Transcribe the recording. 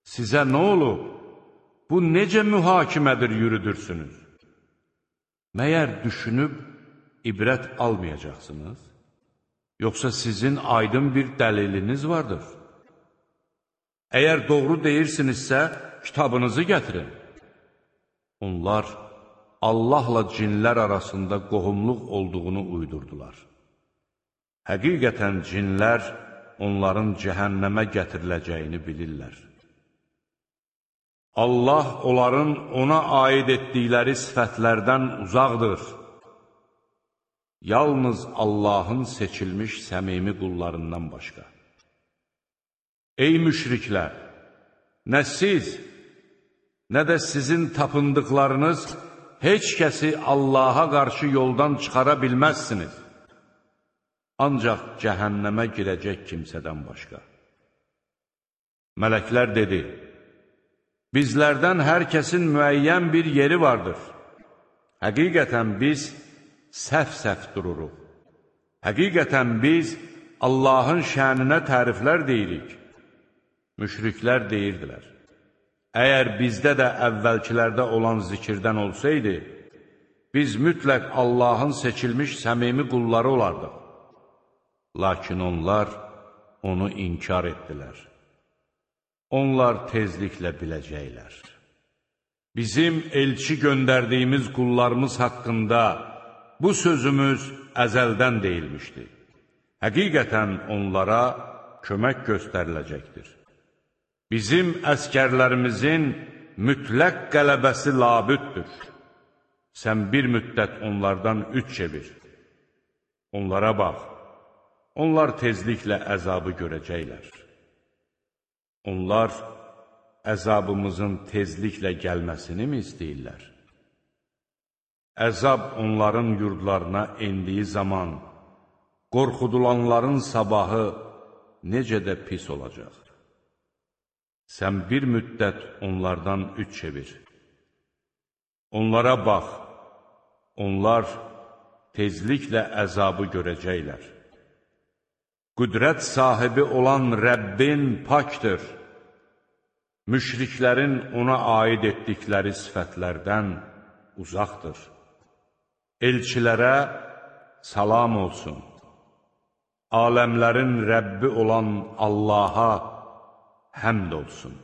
Sizə nə olub? Bu necə mühakimədir yürüdürsünüz? Məyər düşünüb ibrət almayacaqsınız? Yoxsa sizin aydın bir dəliliniz vardır? Əgər doğru deyirsinizsə, kitabınızı gətirin. Onlar Allahla cinlər arasında qohumluq olduğunu uydurdular. Həqiqətən cinlər onların cəhənnəmə gətiriləcəyini bilirlər. Allah onların ona aid etdikləri sifətlərdən uzaqdır. Yalnız Allahın seçilmiş səmimi qullarından başqa. Ey müşriklər! Nə siz, nə də sizin tapındıqlarınız heç kəsi Allaha qarşı yoldan çıxara bilməzsiniz. Ancaq cəhənnəmə girəcək kimsədən başqa. Mələklər dedi, bizlərdən hər kəsin müəyyən bir yeri vardır. Həqiqətən biz səhv-səhv dururuq. Həqiqətən biz Allahın şəninə təriflər deyirik. Müşriklər deyirdilər, əgər bizdə də əvvəlkilərdə olan zikirdən olsaydı, biz mütləq Allahın seçilmiş səmimi qulları olardıq. Lakin onlar onu inkar etdilər. Onlar tezliklə biləcəklər. Bizim elçi göndərdiyimiz qullarımız haqqında bu sözümüz əzəldən deyilmişdi. Həqiqətən onlara kömək göstəriləcəkdir. Bizim əskərlərimizin mütləq qələbəsi labüddür. Sən bir müddət onlardan üç çevir. Onlara bax, onlar tezliklə əzabı görəcəklər. Onlar əzabımızın tezliklə gəlməsini mi istəyirlər? Əzab onların yurdlarına endiyi zaman, qorxudulanların sabahı necə də pis olacaq. Sən bir müddət onlardan üç çevir. Onlara bax, onlar tezliklə əzabı görəcəklər. Qüdrət sahibi olan Rəbbin pakdır. Müşriklərin ona aid etdikləri sifətlərdən uzaqdır. Elçilərə salam olsun. Aləmlərin Rəbbi olan Allaha həmd olsun.